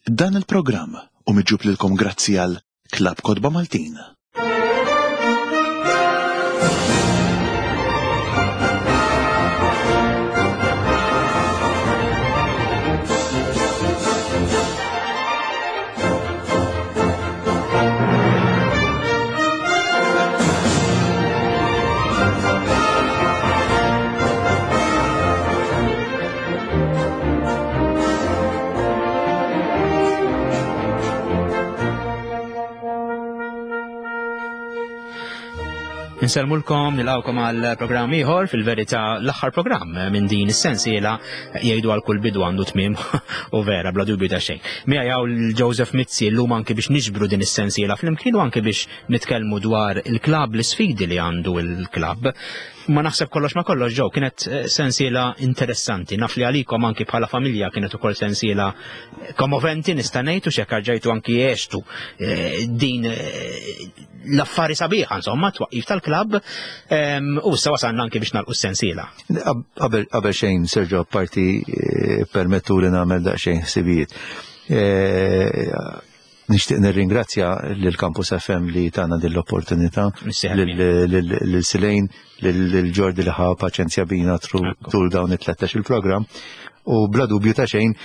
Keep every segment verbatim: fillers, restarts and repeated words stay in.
Dan il-programm hu miġjub lilkom grazzi għal Klabb Kotba Maltin. Insellmulkom, nilqawkom għal programm ieħor, fil-verità l-aħħar programm minn din is-sensiela. Jgħidu għal kull bidu għandu tmiem u vera bla dubju ta' xejn. Miegħi hawn Joseph Mizzi llum anke biex niġbru din is-sensiela flimkien u anke biex nitkellmu dwar il-klabb, l-isfidi li għandu il-klabb. Ma naħseb kollox ma kollox ġew kienet sensiela interessanti. Naf li għalikom anki bħala familja kienet ukoll sensiela kommoventi nista' ngħid u x'hekk rġajtu anki għextu din l-affari sabiħa insomma twaqqif tal-klabb u issa wasalna anki biex nagħlqu s-sensiela. Qabel qabel xejn Sergio, apparti permettu li nagħmel daqsxejn ħsibijiet. Nixtieq nirringrazzja lil Campus F M li tana din l-opportunità, lil Silejn, lil Ġordi li ħa paċenzja bina tul dawn it-tlettax il-programm. U bla dubju ta' xejn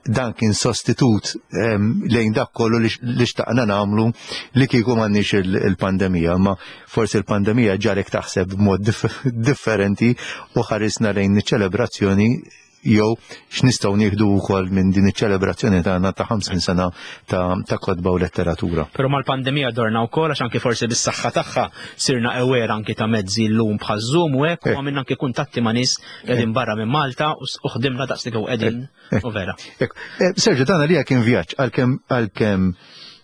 dan kien sostitut lejn dak kollu li xtaqna nagħmlu li kieku m'għandniex il-pandemija, imma forsi l-pandemija ġarek taħseb b'mod differenti u ħarisna lejn iċ-ċelebrazzjoni jew x'nistgħu nieħdu wkoll minn din iċ-ċelebrazzjoni tagħna ta' ħamsin sena ta' kotba u letteratura. Però mal-pandemija dorna wkoll għax anke forsi bis-saħħa tagħha sirna aware anke ta' mezzi llum bħal Zoom u hekk u għamilna anke kuntatti ma' nies qegħdin barra minn Malta u ħdimna daqs li qegħdin u vera. Sergio, dan għalija kien vjaġġ għalkemm għalkemm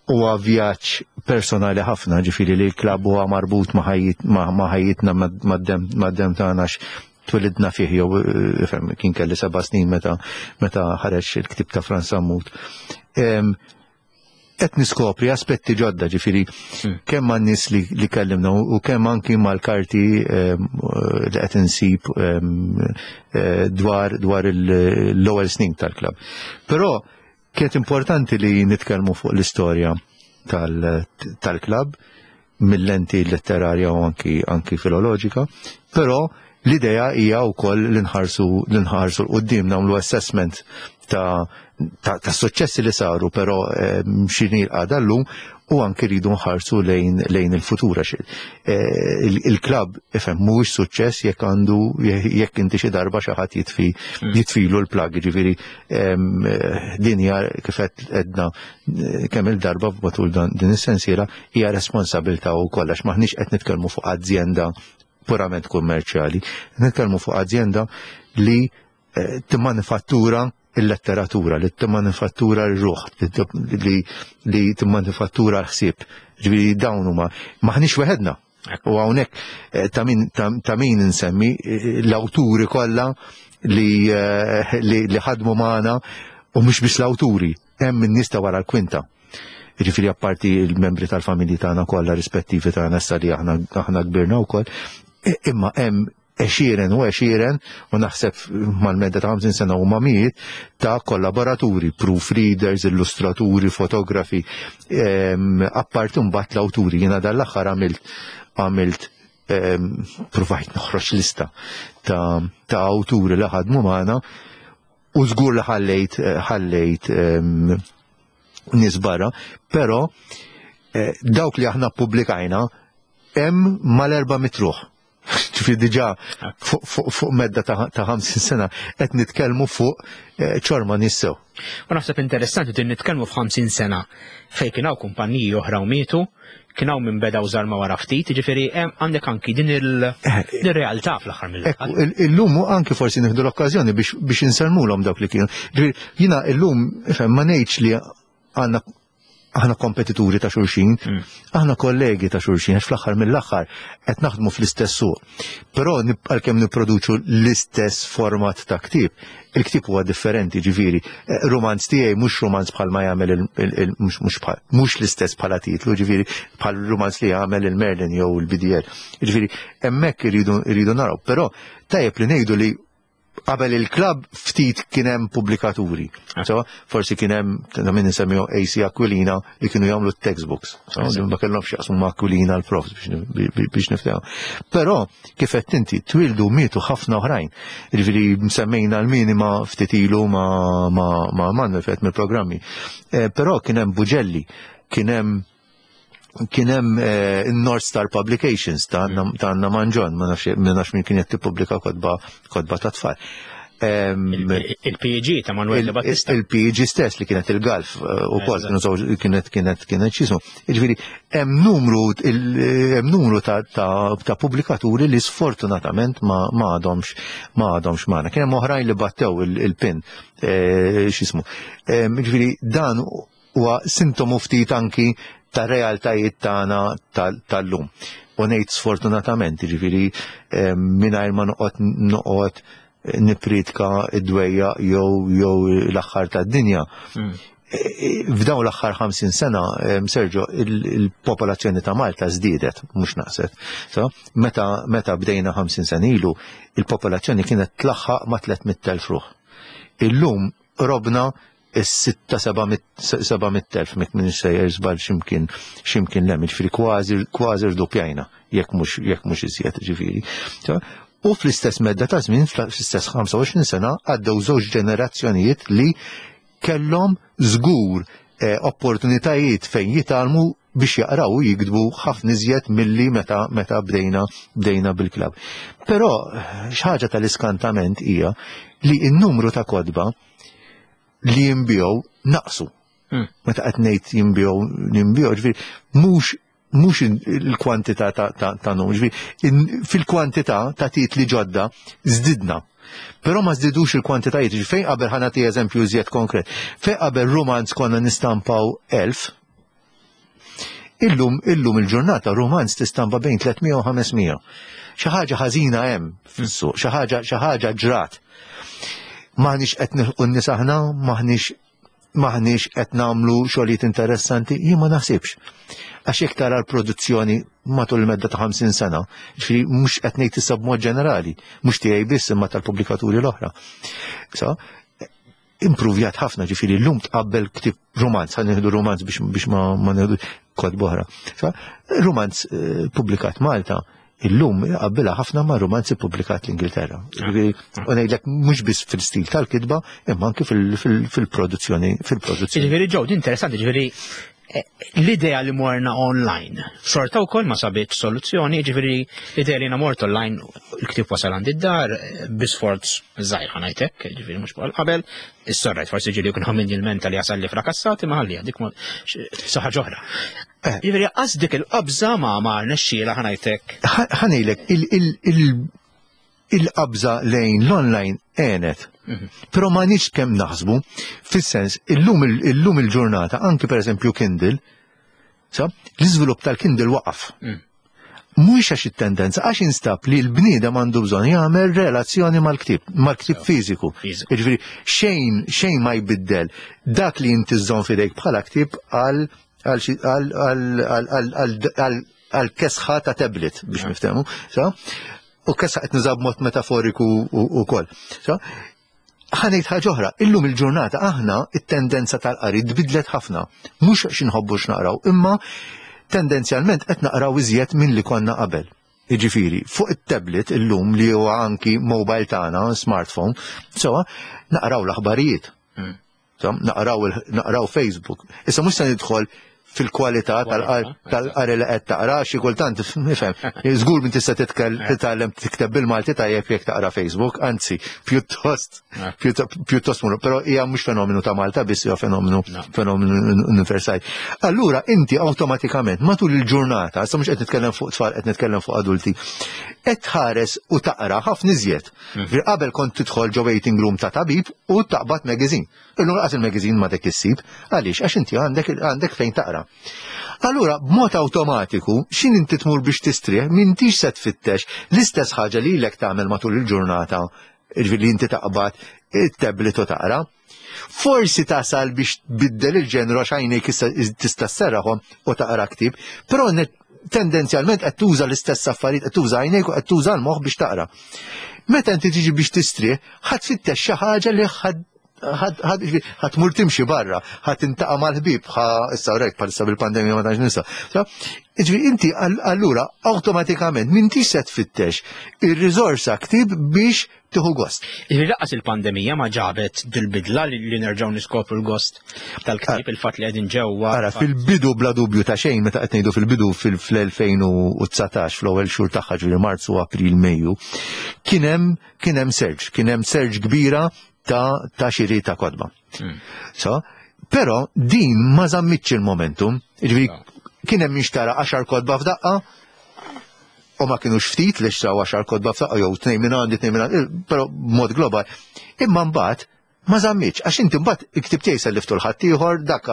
huwa vjaġġ personali ħafna, ġifieri li l-klabb huwa marbut ma' ħajjitna mad-demm tagħna twilidna fih jew kien kelli seba' snin meta meta ħareġ il-ktieb ta' Frans Sammut. Qed niskopri aspetti ġodda, ġifieri kemm man-nies li kellimna u kemm anki mal-karti li qed insib dwar dwar l-ewwel snin tal-klabb. Però kienet importanti li nitkellmu fuq l-istorja tal-klabb mill-lenti letterarja u anki anki filoloġika, però l-idea hija wkoll li nħarsu li nħarsu 'l quddiem, nagħmlu assessment ta' ta' suċċessi li saru, però x'inhi l-qagħda llum u anki rridu nħarsu lejn lejn il-futur għax il-klabb ifhem mhuwiex suċċess jekk għandu jekk inti xi darba xi ħadd jitfi jitfilu l-plug, ġifieri din hija kif qed għedna kemm il-darba matul din is-sensiela hija responsabilità wkoll għax m'aħniex qed nitkellmu fuq azjenda purament kummerċjali, nitkellmu fuq azjenda li timmanifattura il-letteratura, li timmanifattura r-ruħ, li timmanifattura l-ħsieb. Ġifieri dawn huma m'aħniex weħedna. U hawnhekk ta' min insemmi l-awturi kollha li li ħadmu magħna u mhux biss l-awturi, hemm in-nies ta' wara l-kwinta. Ġifieri apparti l-membri tal-familji tagħna kollha rispettivi tagħna issa li aħna aħna kbirna wkoll, imma hemm għexieren u għexieren u naħseb mal-medda ta' ħamsin sena huma mijiet ta' kollaboraturi, proofreaders, illustraturi, fotografi, apparti mbagħad l-awturi. Jiena dan l-aħħar għamilt għamilt provajt noħroġ lista ta' ta' awturi li ħadmu magħna u żgur li ħallejt ħallejt nies barra, però dawk li aħna ppubblikajna hemm mal-erba' mitruħ. Ġifieri diġà fuq medda ta' ħamsin sena qed nitkellmu fuq ċorma nies sew. U naħseb interessanti din nitkellmu f'ħamsin sena fejn kien hawn kumpaniji oħra u mietu, kien hawn min beda u żarma wara ftit, jiġifieri hemm għandek anki din il-realtà fl-aħħar mill-aħħar. Illum anki forsi nieħdu l-okkażjoni biex insellmulhom dawk li kienu. Ġifieri jiena illum ifhem ma ngħidx li għandna aħna kompetituri ta' xulxin, aħna kollegi ta' xulxin, għax fl-aħħar mill-aħħar qed naħdmu fl-istess suq. Però għalkemm nipproduċu l-istess format ta' ktieb, il-ktieb huwa differenti, ġifieri, romanz tiegħi mhux romanz bħal ma jagħmel il-, mhux bħal, mhux l-istess bħala titlu, ġifieri bħal romanz li jagħmel il-Merlin jew il-B D L. Ġifieri hemmhekk iridu, iridu naraw, però tajjeb li ngħidu li Qabel il-klabb ftit kien hemm pubblikaturi. So, forsi kien hemm ta' min insemmihu A C Aquilina li kienu jagħmlu textbooks. So, ma kellhomx jaqsmu ma' Aquilina l-profs biex biex niftehmu. Però kif qed inti, twildu, mietu ħafna oħrajn. Jiġifieri semmejna l-minima ftit ilu ma' ma' ma' Manuel fet mill-programmi. Eh, Però kien hemm Bugelli, kien hemm kien hemm eh, North Star Publications ta' Anna ta' Anna Manġon, ma nafx ma nafx min kien qed tippubblika kotba kotba ta' tfal. Em, Il-P E G ta' Manuel de Battista. Il-P E G stess li kienet il-Galf eh, u kol, Eżatt. kienu żewġ- kienet kienet kienet x'jismu. Jiġifieri hemm numru il- hemm numru ta' ta' ta' pubblikaturi li sfortunatament ma ma għadhomx ma għadhomx magħna. Kien hemm oħrajn li battew il- il-pin eh, x'jismu. Em, Jiġifieri dan huwa sintomu ftit anki ta' realtajiet tagħna tal- tal-lum. U ngħid sfortunatament, jiġifieri em, mingħajr ma noqgħod noqgħod nippriedka id-dwejjaq jew jew l-aħħar tad-dinja. Mm. E, F'dawn l-aħħar ħamsin sena, em, Sergio, il- il-popolazzjoni ta' Malta żdiedet, mhux naqset. So, meta meta bdejna ħamsin sena ilu, il-popolazzjoni kienet tlaħħaq ma' tliet mitt elf ruħ. Illum qrobna is-sitta seba' mitt elf, mek minn sejjer żball ximkien ximkien lem, ġifieri kważi kważi rdoppjajna, jekk mhux jekk mhux iżjed ġifieri. So, u fl-istess medda ta' żmien, fl-istess ħamsa u għoxrin sena, għaddew żewġ ġenerazzjonijiet li kellhom żgur eh, opportunitajiet fejn jitgħallmu biex jaqraw u jiktbu ħafna iżjed milli meta meta bdejna bdejna bil-klabb. Però xi ħaġa tal-iskantament hija li n-numru ta' kotba li jinbiegħu naqsu. Mm. Meta qed ngħid jinbiegħu jinbiegħu, ġifieri mhux mhux il-kwantità ta' ta' ta' numru, ġifieri in- fil-kwantità ta' titli ġodda żdidna. Però ma żdidux il-kwantitajiet, ġifieri fejn qabel, ħa nagħti eżempju iżjed konkret, fejn qabel romanz konna nistampaw elf, illum illum il-ġurnata romanz tistampa bejn tliet mija u ħames mija. Xi ħaġa ħażina hemm fis-suq, xi ħaġa xi ħaġa ġrat. M'aħniex qed nilħqu n-nies aħna, m'aħniex m'aħniex qed nagħmlu xogħlijiet interessanti, jien ma naħsibx. Għax jekk tara l-produzzjoni matul il-medda ta' ħamsin sena, ġifieri mhux qed ngħid issa b'mod ġenerali, mhux tiegħi biss imma tal-pubblikaturi l-oħra. So, improvjat ħafna, ġifieri llum tqabbel ktib romanz, ħa nieħdu romanz biex, biex ma, ma nieħdu kotba oħra. So, romanz eh, pubblikat Malta, illum qabbilha ħafna ma' romanzi pubblikat l-Ingilterra. Ġifieri, u ngħidlek mhux biss fil-stil tal-kitba, imma anke fil- fil- fil-produzzjoni fil-produzzjoni. Ġifieri ġew, din interessanti, ġifieri eh, l-idea li morna online, xorta wkoll ma sabit soluzzjoni, ġifieri l-idea li jiena mort online, il-ktib wasal għand id-dar, eh, bi sforz żgħir ħa ngħidlek, ġifieri mhux bħal qabel, is-sorrajt forsi ġieli jkun ħammin il-menta li jasal li frakassati, ma ħalli dik ma saħħa ġoħra. Eh. Ġifieri qas dik il-qabża ma ma rnexxiela ħa ngħidlek. Ħa ngħidlek, il-qabża lejn l-online għenet. Però ma nix kemm naħsbu, fis-sens, illum illum il-ġurnata, anki per eżempju Kindle, sa, l-iżvilupp tal-Kindle waqaf. Mm. Mhux għax it-tendenza, għax instab li l-bniedem għandu bżonn jagħmel relazzjoni mal-ktib, mal-ktib fiżiku. Fiżiku. Jiġifieri xejn xejn ma jbiddel dak li inti żżomm f'idejk bħala ktib għal għal xi- għal għal għal għal għal għal għal kesħa ta' tablet biex niftehmu. Sa? U kesħa qed nuża b'mod metaforiku ukoll. Sa? Ħa ngħid ħaġa oħra, illum il-ġurnata aħna it-tendenza tal-qari tbidlet ħafna. Mhux għax inħobbu x'naqraw, imma tendenzjalment qed naqraw iżjed minn li konna qabel. Jiġifieri, fuq it-tablet illum li huwa anki mobile tagħna, smartphone, so naqraw l-aħbarijiet. Mm. So, naqraw, il- naqraw Facebook. Issa mhux se nidħol fil-kwalità Kwalità, tal-qari li qed taqra, xi kultant nifhem. Żgur min tista' titkel titgħallem tikteb bil-Malti tajjeb jekk taqra Facebook, anzi, pjuttost Eh. pjuttost pjuttost muru, però hija mhux fenomenu ta' Malta biss, hija fenomenu No. fenomenu universali. Allura inti awtomatikament matul il-ġurnata, issa mhux qed nitkellem fuq tfal, qed nitkellem fuq adulti, qed tħares u taqra ħafna iżjed. Mm. Qabel kont tidħol ġo waiting room ta' tabib u taqbad magazine. Illum lanqas il-magazine ma dik issib, għaliex? Għax inti għandek għandek fejn taqra. Allura, b'mod awtomatiku, xin inti tmur biex tistrieħ, m'intix se tfittex l-istess ħaġa li lek tagħmel matul il-ġurnata, ġifieri li inti taqbad it-tablet u taqra. Forsi tasal biex tbiddel il-ġenru għax għajnejk issa tista' sserraħhom u taqra ktib, però net Tendenzjalment qed tuża l-istess affarijiet, qed tuża għajnejk u qed tuża l-moħħ biex taqra. Meta inti tiġi biex tistrieħ, ħa tfittex xi ħaġa li ħa tmur timxi barra, ħa tiltaqa' mal-ħbieb, ħa issa rek bħalissa bil-pandemija ma tantx nista'. Ġifieri inti allura awtomatikament m'intix se tfittex ir-riżorsa ktieb biex tieħu gost. Ġifieri lanqas il-pandemija ma ġabet dil-bidla li nerġgħu niskopru l-gost tal-ktieb, il-fatt li qegħdin ġewwa. Ara, fil-bidu bla dubju ta' xejn, meta qed ngħidu fil-bidu fil-elfejn u dsatax, fl-ewwel xhur tagħha, ġifieri Marzu, April, Mejju, kien hemm kien hemm surge, kien hemm surge kbira ta' ta' xiri ta' kotba. So, però din ma żammitx il-momentum, ġifieri kien hemm jinxtara għaxar kotba f'daqqa, u ma kienux ftit li xtraw għaxar kotba f'daqqa, jew tnejn minn għandi, tnejn minn għandi, però b'mod global. Imma mbagħad ma żammitx, għax inti mbagħad il-ktieb tiegħi selliftu 'l ħaddieħor, dak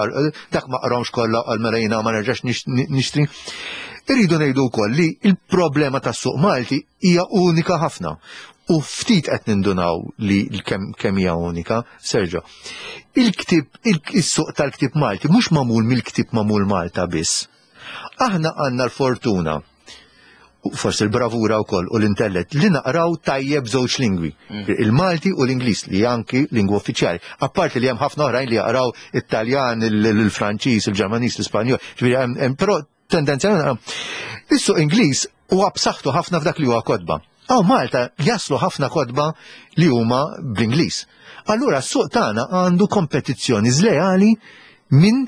dak ma qrahomx kollha qal mela jiena ma nerġax nixtri. Irridu ngħidu wkoll li l-problema tas-suq Malti hija unika ħafna. U ftit qed nindunaw li kemm kemm hija unika, Sergio. Il-ktieb, is-suq tal-ktieb Malti mhux magħmul mill-ktieb magħmul Malta biss. Aħna għandna l-fortuna, forsi l-bravura wkoll u l-intellett li naqraw tajjeb żewġ lingwi, il-Malti u l-Ingliż, li anki lingwa uffiċjali. Apparti li hemm ħafna oħrajn li jaqraw it-Taljan, il-Franċiż, il-Ġermaniż, l-Ispanjol, ġifieri però tendenzjalment is-suq Ingliż huwa b'saħħtu ħafna f'dak li huwa kotba. Aw Malta jaslu ħafna kotba li huma bl-Ingliż. Allura s-suq tagħna għandu kompetizzjoni żleali minn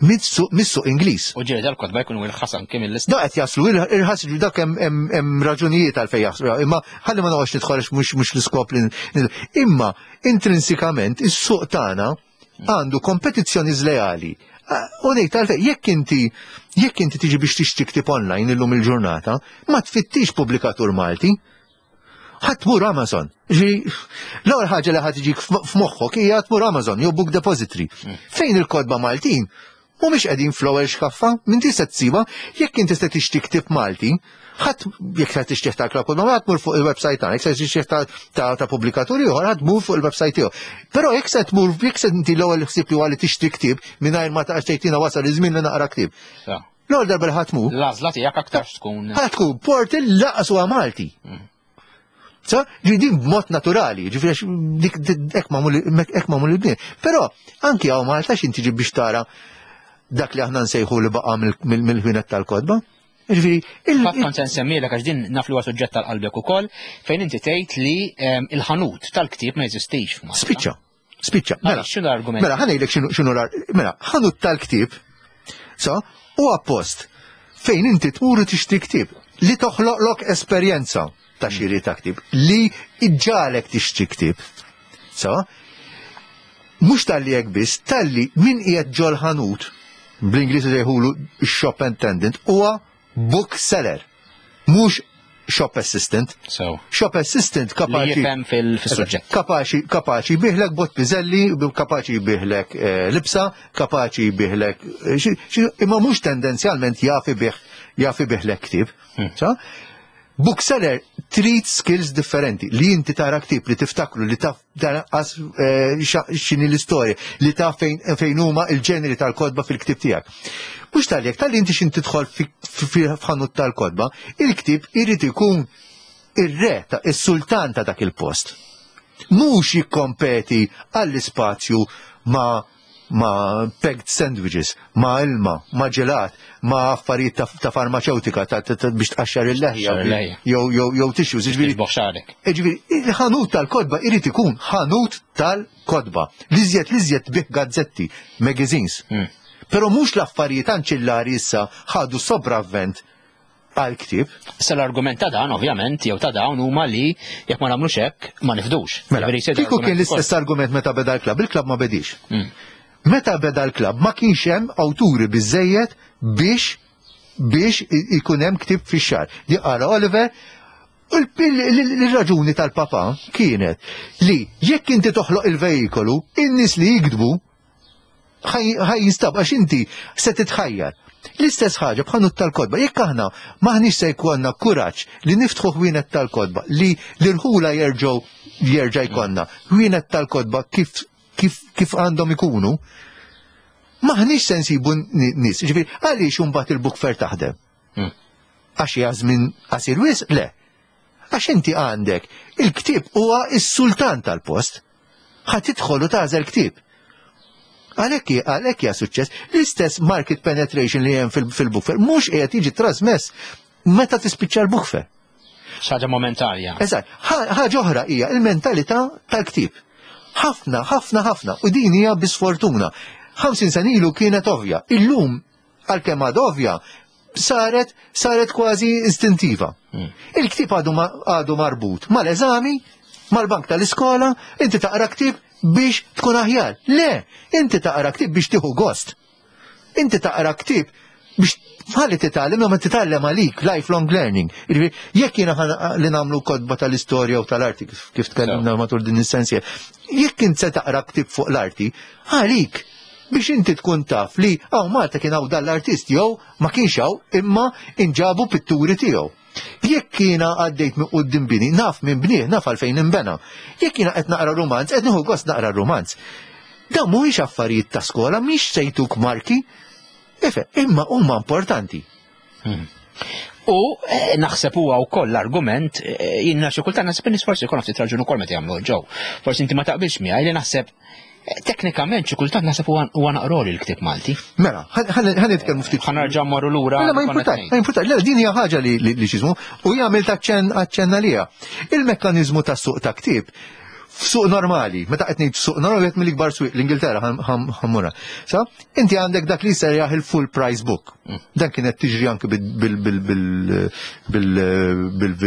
mis-suq Ingliż. U ġieli dal-kotba jkunu irħas anke mill-istess. Da qed jaslu irħas, dak hemm raġunijiet għalfejn jaslu, imma ħalli ma noqgħodx nidħol mhux mhux l-iskop li imma intrinsikament is-suq tagħna għandu kompetizzjoni żleali. U ngħid għalfejn, jekk inti jekk inti tiġi biex tixtri ktieb online illum il-ġurnata, ma tfittix pubblikatur Malti. Ħa tmur Amazon. Ġi, l-ewwel ħaġa li ħa tiġik f'moħħok hija tmur Amazon jew Book Depository. Fejn il-kotba Maltin mhumiex qegħdin fl-ewwel xkaffa, minn tista' tsibha, jekk inti se tixtri ktieb Malti, ħadd jekk se tixtieq ta' Club Kotba, ħa tmur fuq il-website tagħna, jekk se tixtieq ta' ta' pubblikaturi ieħor, ħa tmur fuq il-website tiegħu. Però jekk se tmur, jekk se inti l-ewwel ħsieb li huwa li tixtri ktieb mingħajr ma taqgħax tgħidina wasal iż-żmien li naqra ktieb. L-ewwel darba li ħa tmur. L-għażla tiegħek aktar tkun. Ħa tkun portal lanqas huwa Malti. Sa, ġifieri b'mod naturali, ġifieri dik hekk magħmul il-bnien. Però anki hawn Malta x'inti tiġi biex tara dak li aħna nsejħu li baqa' mill-ħwienet tal-kotba. Ġifieri, Fatt kont se nsemmilek għax din naf li huwa suġġett tal-qalbek ukoll, fejn inti tgħid li il-ħanut tal-ktieb ma jeżistix f'Malta. Spiċċa, spiċċa. Mela, x'inhu l-argument? Mela, ħa ngħidlek x'inhu l-argument. Mela, ħanut tal-ktieb, sa, huwa post fejn inti tmur u tixtri ktieb li toħloqlok esperjenza ta' xiri ta' ktieb, li iġġalek tixtri ktieb. Sa, mhux talli hekk biss, talli min qiegħed ġol ħanut, bl-Ingliż jgħidulu shop attendant, huwa book seller, mhux shop assistant. So. Shop assistant kapaċi Li jifhem fil-suġġett. Kapaċi, kapaċi jbigħlek bott piżelli, kapaċi jbigħlek eh, libsa, kapaċi jbigħlek eh, imma mhux tendenzjalment jaf ibigħ jaf ibigħlek ktieb. Hmm. Sa? Bookseller trid skills differenti li inti tara ktieb li tiftakru, li taf tara eh, x'inhi l-istorja, li taf fejn fejn huma il-ġeneri tal-kotba fil-ktieb tiegħek. Mhux tal-jekk tal-li inti xin tidħol f'ħanut tal-kotba, il-ktieb irid ikun ir-re ta' is-sultan ta' dak il-post. Mhux jikkompeti għall-ispazju ma' ma' packed sandwiches, ma' ilma, ma' ġelat, ma' affarijiet ta', ta' farmaceutika ta', ta, ta, biex tqaxxar il-leħja jew jew jew tissues, jiġifieri. Xagħrek. Jiġifieri il-ħanut tal-kotba irid ikun ħanut tal-kotba. L-iżjed l-iżjed bih gazzetti, magazines. Hmm. Però mhux l-affarijiet anċillari issa ħadu sopravvent għal-ktieb. Issa l-argument ta' dan, ovvjament, jew ta' dawn huma li jekk ma nagħmlux hekk ma nifdux. Mela, kieku kien l-istess argument meta beda l-klabb, il-klabb ma bedix. Hmm. Meta beda l-klabb ma kienx hemm awturi biżejjed biex biex ikun hemm ktieb fix-xahar. Di qara Oliver, il-raġuni tal-papa kienet li jekk inti toħloq il-vejikolu, in-nies li jiktbu ħa jinstab għax inti se titħajjar. L-istess ħaġa b'ħanut tal-kotba, jekk aħna maħniex se jkollna kuraġġ li niftħu ħwienet tal-kotba, li l-irħula jerġgħu jerġa' jkollna ħwienet tal-kotba kif kif kif għandhom ikunu, maħniex se nsibu nies. Ġifieri, għaliex imbagħad il-book fair taħdem? Hmm. Għax hija żmien qasir wisq? Le. Għax inti għandek il-ktieb huwa s-sultan tal-post. Ħa tidħol u tagħżel ktieb. Għalhekk għalhekk hija suċċess. L-istess market penetration li hemm fil-book fair mhux qiegħed jiġi trasmess meta tispiċċa l-book fair. Ħaġa momentarja. Eżatt, ħaġa oħra hija il-mentalità tal-ktieb. Ħafna, ħafna, ħafna, u din hija bisfortuna. ħamsin sena ilu kienet ovvja. Illum, għalkemm għad ovvja, saret saret kważi istintiva. Hmm. Il-ktieb għadu għadu marbut mal-eżami, mal-bank tal-iskola, inti taqra ktieb biex tkun aħjar. Le, inti taqra ktieb biex tieħu gost. Inti taqra ktieb biex ħalli titgħallem, ma titgħallem għalik, lifelong learning. Jiġifieri, jekk jiena li nagħmlu kotba tal-istorja u tal-arti kif tkellimna matul din is-sensiela, jekk int se taqra ktieb fuq l-arti, għalik biex inti tkun taf li hawn Malta kien hawn dal-artist jew ma kienx hawn imma inġabu pitturi tiegħu. Jekk jiena għaddejt minn quddiem bini, naf minn bnieh, naf għalfejn inbena. Jekk jiena qed naqra romanz, qed nieħu gost naqra romanz. Dan mhuwiex affarijiet ta' skola, mhix se jtuk marki. Efe, imma huma importanti. Hmm. U eh, naħseb huwa wkoll l-argument, eh, jiena xi kultant naħseb in-nies forsi jkun ftit raġun ukoll meta jagħmlu ġew. Forsi inti ma taqbilx miegħi li naħseb eh, teknikament xi kultant naħseb huwa naqroli l-ktieb Malti. Mela, ħa nitkellmu ftit. Ħa nerġa' mmorru lura. Mela ma importanti, ma importanti. Le, din hija ħaġa li li x'ismu u jagħmel taċċenn aċċenna liha. Il-mekkaniżmu tas-suq ta' ktieb f'suq normali, meta qed ngħid suq normali qed mill-ikbar swieq l-Ingilterra ħammura. Sa, inti għandek dak li sejjaħ il-full price book. Mm. Dan kienet tiġri anke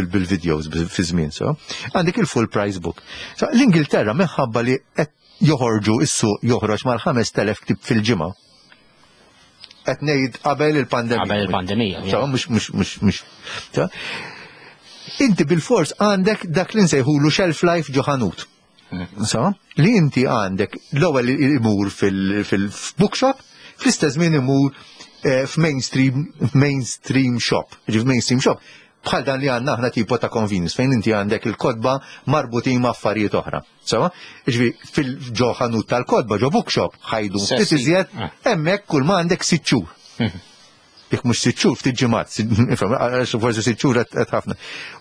bil-videos fi żmien, so. Għandek il-full price book. Sa, l-Ingilterra minħabba li qed joħorġu is-suq joħroġ mal-ħamest elef ktieb fil-ġimgħa. Qed ngħid qabel il-pandemija. Qabel il-pandemija. So, mhux mhux mhux mhux. Inti bil-fors għandek dak li nsejħulu shelf life ġo ħanut. So, li inti għandek l-ewwel imur fil-bookshop, fl-istess żmien imur eh, f'mainstream mainstream shop. Ġi f'mainstream shop, bħal dan li għandna aħna tipo ta' convenience, fejn inti għandek il-kotba marbutin ma' affarijiet oħra. So, ġifi fil-ġo ħanut tal-kotba, ġo bookshop, ħajdu ftit iżjed, Ah. hemmhekk kull ma għandek sitt xhur. Jekk mhux sitt xhur, ftit ġimgħat, forsi sitt xhur qed ħafna.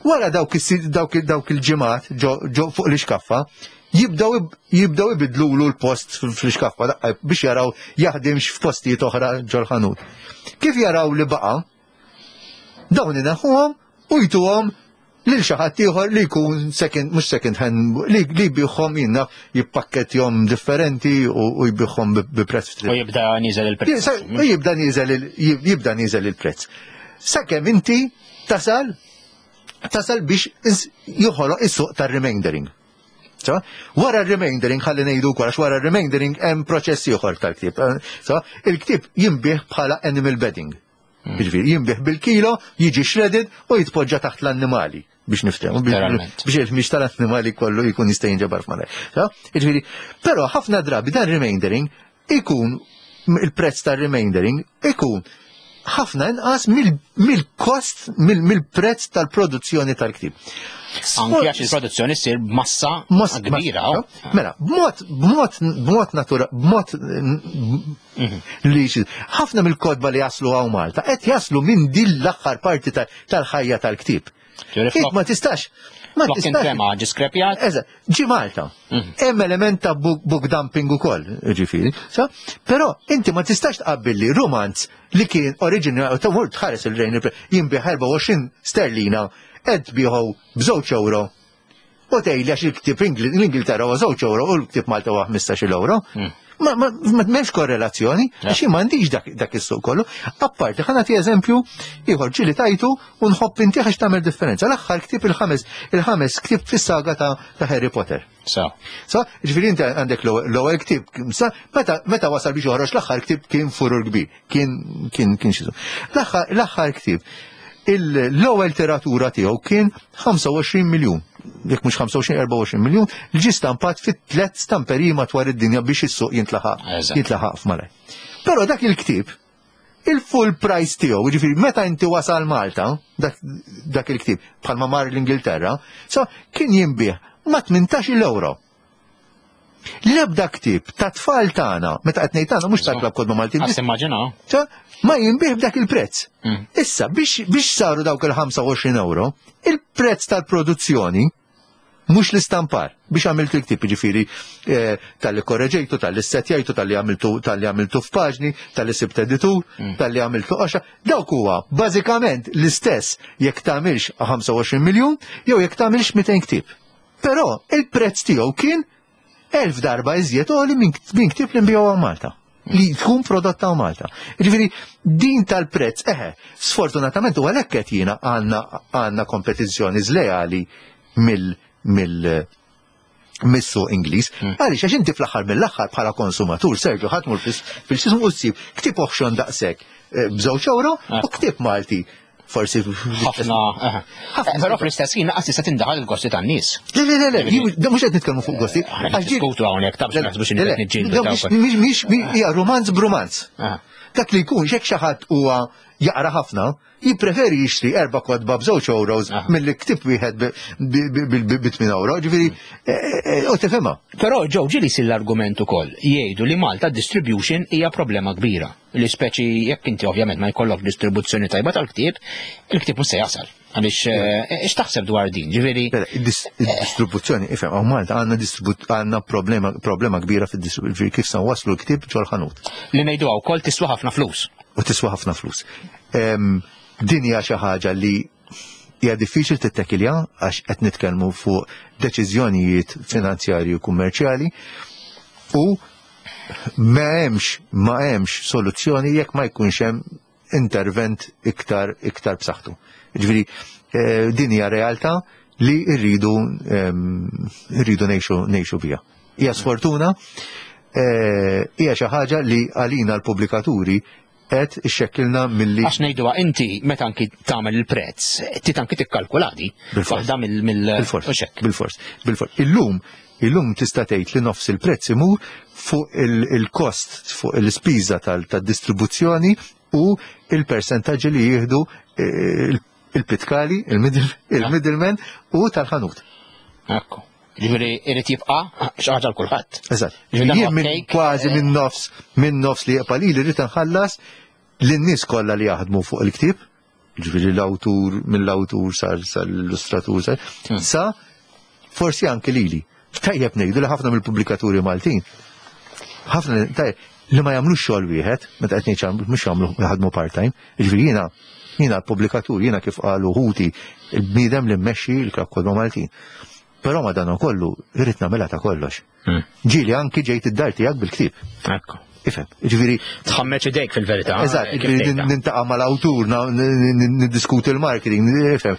Wara dawk dawk il-ġimgħat ġo fuq l-iskaffa, jibdew jibdew ibidlulu l-post fl-iskaffa biex jaraw jaħdimx f'postijiet oħra ġol-ħanut. Kif jaraw li baqa', dawn inaħuhom u jtuhom lil xi ħadd ieħor li jkun second mhux second hand li li jbigħhom jinnna jippakkettjhom differenti u jbigħhom bi prezz U jibda nieżel il-prezz. U jibda nieżel jibda nieżel il-prezz. Sakemm inti tasal tasal biex joħoloq is-suq tar-remaindering. So, wara r-remaindering, ħalli ngħidu wkoll, għax wara r-remaindering hemm proċess ieħor tal-ktieb. So, il-ktieb jinbiegħ bħala animal bedding. Hmm. Jiġifieri jinbiegħ bil-kilo, jiġi shredded u jitpoġġa taħt l-annimali biex niftehmu biex il-ħmieġ tal-annimali kollu jkun jista' jinġabar f'malajr. Jiġifieri, però ħafna drabi dan remaindering ikun il-prezz tar-remaindering ikun ħafna inqas mill-kost, mill-prezz tal-produzzjoni tal-ktieb. Anki għax il-produzzjoni ssir b'massa kbira. Oh. Mela, b'mod, b'mod, b'mod natura, b'mod mhm. li ħafna mill-kotba li jaslu hawn Malta qed jaslu minn din l-aħħar parti tal-ħajja tal-ktieb. Ma tistax. Ma tistax. Tema ġiskrepjat. Eżatt, ġi Malta. Mhm. Hemm element ta' book dumping ukoll, ġifieri. Però inti ma tistax tqabbilli romanz li kien oriġinali ta' mur tħares il-rejn jinbiegħ erbgħa u għoxrin sterlina qed tbigħu b'żewġ euro. U tgħidli għax il-ktieb l-Ingilterra huwa żewġ euro u l-ktieb Malta huwa ħmistax-il euro. Mm. Ma ma m'hemmx korrelazzjoni, għax m'għandix dak, dak is-suq kollu. Apparti, ħa nagħti eżempju ieħor ġieli tajtu u nħobb inti għax tagħmel differenza. L-aħħar ktieb il-ħames il-ħames ktieb fis-saga ta', ta Harry Potter. So. So, ġifieri inti għandek l-ewwel ktieb, sa, meta meta wasal biex joħroġ l-aħħar ktieb kien furur kbir, kien kien kien xizu. L-aħħar ktieb l-ewwel tiratura tiegħu kien ħamsa u għoxrin miljun, jekk mhux ħamsa u għoxrin, erbgħa u għoxrin miljun, li ġie stampat fit tliet stamperiji madwar id-dinja biex is-suq jintlaħaq jintlaħaq f'malaj. Però dak il-ktieb, il-full price tiegħu, jiġifieri meta inti wasal Malta, dak, dak il-ktieb bħalma mar l-Ingilterra, so kien jinbiegħ ma' tmintax-il euro. L-ebda ktieb ta' tfal tagħna, meta qed ngħid tagħna mhux tal-Klabb Kotba Maltin, Għas immaġina. ċa, ma jinbiegħ b'dak il-prezz. Mm. Issa, biex, biex saru dawk il-ħamsa u għoxrin euro, il-prezz tal-produzzjoni, mhux l-istampar, biex għamiltu il-ktieb, ġifieri, eh, talli korreġejtu, talli setjajtu, talli għamiltu, talli għamiltu f'paġni, talli sibt editur, talli għamiltu qoxra, dawk huwa bażikament l-istess jekk tagħmilx ħamsa u għoxrin miljun jew jekk tagħmilx mitejn ktieb. Però il-prezz tiegħu kien elf darba iżjed għoli minn minn ktieb li nbigħu Malta, li tkun prodotta hawn Malta. Ġifieri, din tal-prezz, eħe, sfortunatament u għalhekk qed jiena għandna għandna kompetizzjoni żleali mill mill mis-suq Ingliż. Għaliex, għax inti fl-aħħar mill-aħħar bħala konsumatur, Sergio, ħa tmur fil-xismu u ssib ktieb oħxon daqshekk eh, b'żewġ euro u ktieb Malti forsi ħafna. eh. Ħafna. Però fl-istess ħin naqas tista' tindaħal il-gosti tan-nies. Le, le, le, le, jien- da mhux qed nitkellmu fuq gosti. Aħna Għax ġieli- niddiskutu hawnhekk ta' biex naħsbu x'inhi Le, le, qed niġġieldu le, dawk. mhix- mhix- mhix- hija rumanz b'rumanz. Ah. Dak li jkun xek xi ħadd huwa jaqra ħafna, jippreferi jixtri erba' kotba b'żewġ euros Ah. milli ktieb wieħed bi tmien euro, ġifieri eh, eh, u tifhimha. Però ġew ġieli jsir l-argument ukoll jgħidu li Malta distribution hija problema kbira. Li speċi jekk inti ovvjament ma jkollok distribuzzjoni tajba tal-ktieb, il-ktieb mhux se jasal. Għaliex eh, x'taħseb dwar din? Ġifieri Le, id-distribuzzjoni, ifhem, hawn Malta għandna distribu- għandna problema problema kbira fid-distribuzzjoni, kif se waslu l-ktieb ġol-ħanut. Li ngħidu wkoll tiswa ħafna flus. U tiswa ħafna flus. Em, Din hija xi ħaġa li hija diffiċli tittekilja għax qed nitkellmu fuq deċiżjonijiet finanzjarji u kummerċjali u ma hemmx ma hemmx soluzzjoni jekk ma jkunx hemm intervent iktar iktar b'saħħtu. Ġifieri eh, din hija realtà li rridu em, rridu ngħixu ngħixu biha. Hija sfortuna, eh, hija xi ħaġa li għalina l-pubblikaturi qed ixxekkilna milli Għax ngħiduha inti meta anki tagħmel il-prezz, ti anki tikkalkuladi. Bil-fors. Waħda mill mill Bil-fors, u xek. bil-fors, bil-fors. Illum, illum tista' tgħid li nofs il-prezz imur fuq il- il-kost, fuq il-spiża tal-distribuzzjoni u il-persentaġġi li jieħdu eh, il- il-pitkali, il-middle- il-middleman u tal-ħanut. Ekku. Ġifieri irid jibqa' xi ħaġa l kulħadd. Eżatt. Ġifieri dan Jien huwa minn cake, kważi eh, minn nofs, minn nofs li jibqa' li rrid nħallas lin-nies kollha li jaħdmu fuq il-ktieb, ġifieri l-awtur, mill-awtur sar sal-illustratur sar, Hmm. sa forsi anke lili. Tajjeb ngħidu li ħafna mill-pubblikaturi Maltin, ħafna tajjeb li ma jagħmlux xogħol wieħed, meta qed ngħid mhux jagħmlu jaħdmu part-time, ġifieri jiena jiena l-pubblikatur, jiena kif qalu ħuti il-bniedem li mmexxi l-Klabb Kotba Maltin. Però ma dan kollu irrid nagħmilha ta' kollox. Hmm. Ġieli anki ġejt id-dar tiegħek bil-ktieb. Ekku. Ifhem, ġifieri Tħammeċ idejk fil-verità. Eżatt, kif ġifieri tgħidha. nintaqa' mal-awtur, na- n- n- niddiskuti l-marketing, ifhem,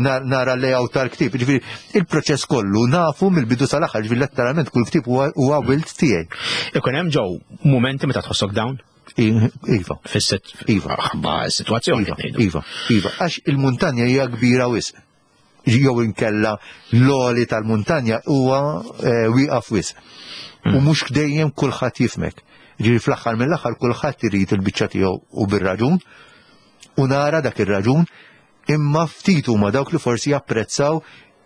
na- nara l-layout tal-ktieb, ġifieri il-proċess kollu nafu mill-bidu sal-aħħar, ġifieri letteralment kull ktieb huwa huwa wild tiegħi. Ikun hemm ġew momenti meta tħossok down I- Iva, fis-sit Iva. ħabba s-sitwazzjoni Iva, qed ngħidu. iva, iva, għax il-muntanja hija kbira wisq. Jew inkella l-għoli tal-muntanja huwa eh, wieqaf wisq. U mhux dejjem kulħadd jifhmek. Ġifieri fl-aħħar mill-aħħar kulħadd irid il-biċċa tiegħu u bir-raġun u nara dak ir-raġun imma ftit huma dawk li forsi japprezzaw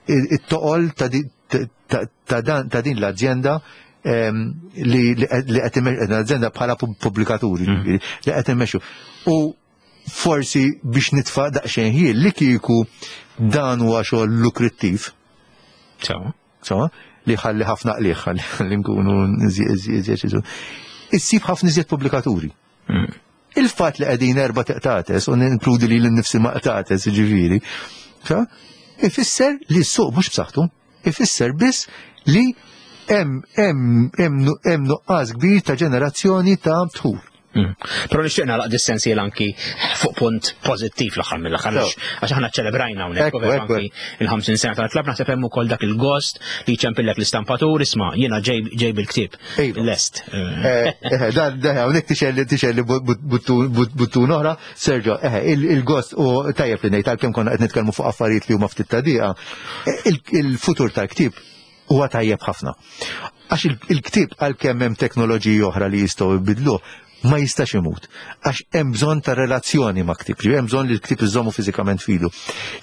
il- it-toqol ta' di- ta- ta' dan- ta' din l-azienda em, li li li qed imme- l-azienda bħala pub- pubblikaturi ġifieri, li qed immexxu. U forsi biex nitfa' daqsxejn ħin li kieku dan huwa xogħol lukrittiv, Sewa. so, li ħalli ħafna qliħ, ħalli ħalli nkunu iżjed iżjed. Issib ħafna iżjed pubblikaturi. Il-fatt li qegħdin erba' teqtates u ninkludi li l-nifsi ma qtates, ġifieri, sa, ifisser li s-suq mhux b'saħħtu, ifisser biss li hemm hemm hemm hemm nuqqas kbir ta' ġenerazzjoni ta' dħul. Mm. Però nixtieq nagħlaq dis-sensiel anki fuq punt pożittiv l-aħħar mill-aħħar Sew. għax għax aħna ċelebrajna hawnhekk Ekku, u veru ekku. anki il-ħamsin sena tal-klabb naħseb hemm ukoll dak il-gost li ċempillek l-istampatur isma' jiena ġej ġej bil-ktieb. Iva. Lest. Eh, eh, Dan, dan, hawnhekk tixelli tixelli buttun oħra, Sergio, eh, il- il-gost u tajjeb li ngħid għalkemm konna qed nitkellmu fuq affarijiet li huma ftit tadiqa, eh, il- il-futur tal-ktieb huwa tajjeb ħafna. Għax il- il-ktieb għalkemm hemm teknoloġiji oħra li jistgħu jbidluh, ma jistax imut, għax hemm bżonn ta' relazzjoni ma' ktieb, hemm bżonn li l-ktieb iżommu fiżikament filu.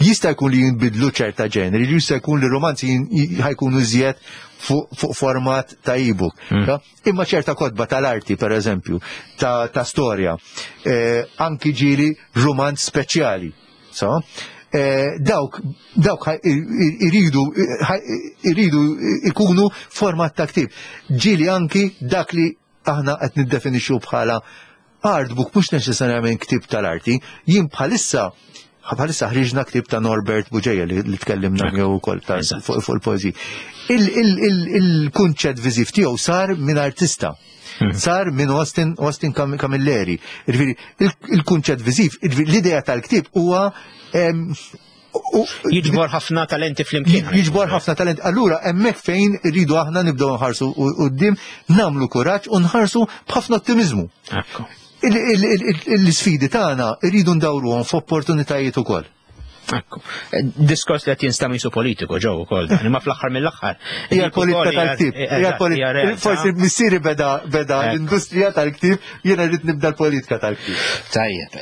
Jista' jkun li jinbidlu ċerta ġeneri, jista' jkun li romanzi ħa jkunu iżjed fuq format ta' e-book. Mm. Imma ċerta kotba tal-arti, per eżempju, ta', ta storja, eh, anki ġieli romanz speċjali. So, eh, dawk dawk iridu iridu ikunu format ta' ktieb. Ġieli anki dak li aħna qed niddefinixxu bħala artbook mhux neċessarjament ktieb tal-arti, jien bħalissa bħalissa ħriġna ktieb ta' Norbert Bugeja li, li tkellimna miegħu wkoll fuq il-poeżiji. Il-kunċett viżiv tiegħu sar minn artista. Hmm. Sar minn Austin, Austin Camilleri. Il-kunċett viżiv, l-idea tal-ktieb huwa Jiġbor ħafna talenti flimkien. Jiġbor ħafna talenti. Allura hemmhekk fejn irridu aħna nibdew nħarsu quddiem, nagħmlu kuraġġ u nħarsu b'ħafna ottimizmu. L-isfidi tagħna rridu ndawruhom f'opportunitajiet ukoll. Ekku. Diskors li qed jinstema' qisu politiku ġew ukoll dan, imma fl-aħħar mill-aħħar. Hija politika tal-ktieb. Hija politika. Forsi missieri beda beda l-industrija tal-ktieb, jiena rrid nibda l-politika tal-ktieb. Tajjeb.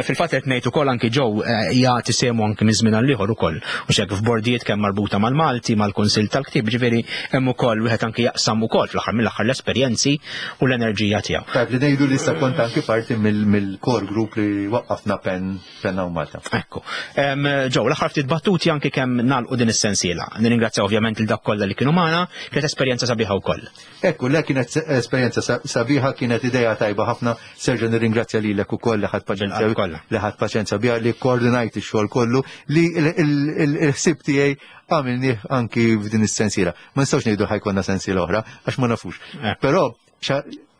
Fil-fatt qed ngħid ukoll anki ġew jagħti sehmu anki minn żmien għal ieħor ukoll. U xek f'bordijiet kemm marbuta mal-Malti, mal-Kunsill tal-Ktieb, ġifieri hemm ukoll wieħed anki jaqsam ukoll fl-aħħar mill-aħħar l-esperjenzi u l-enerġija tiegħu. Tajjeb li ngħidu li issa kont anki parti mill-core group li waqqafna Pen Penna u Malta. Ekku. Ġew, l-aħħar ftit battuti anki kemm nagħlqu din is-sensiela. Nirringrazzja ovvjament il dak kollha li kienu magħna, kienet esperjenza sabiħa wkoll. Ekku, le kienet esperjenza sabiħa, kienet idea tajba ħafna. Serġa nirringrazzja lilek ukoll li ħadd paċenzja li ħadd paċenzja biha, li koordinajt ix-xogħol kollu, li l-ħsieb tiegħi għamilnieh anki f'din is-sensiela. Ma nistgħux ngħidu ħajkonna sensiela oħra għax ma nafux. Però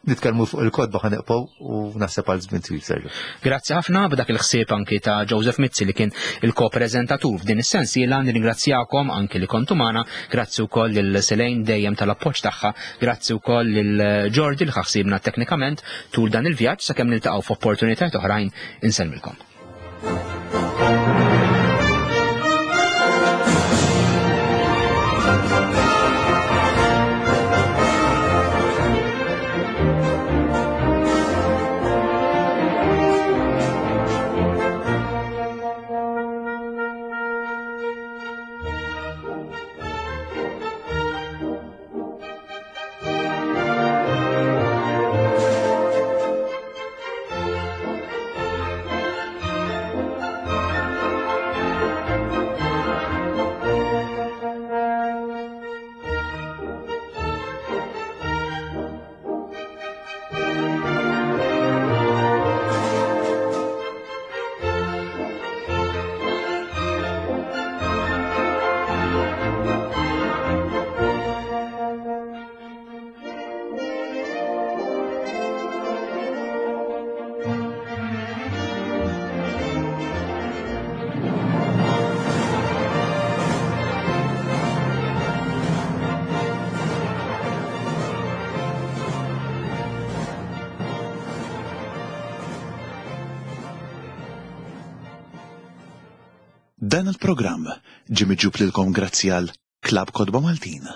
nitkellmu fuq il-kotba ħa neqgħu u naħseb għal żmien twil, Sergio. Grazzi ħafna b'dak il-ħsieb anki ta' Joseph Mizzi li kien il-ko-preżentatur f'din is-sensiela. Nirringrazzjakom anki li kontu magħna, grazzi wkoll lil Selejn dejjem tal-appoġġ tagħha, grazzi wkoll lil Jordi li ħassibna teknikament tul dan il-vjaġġ sakemm niltaqgħu f'opportunitajiet oħrajn. Insellmilkom. Dan il-programm ġie miġjub lilkom grazzi għal Klabb Kotba Maltin.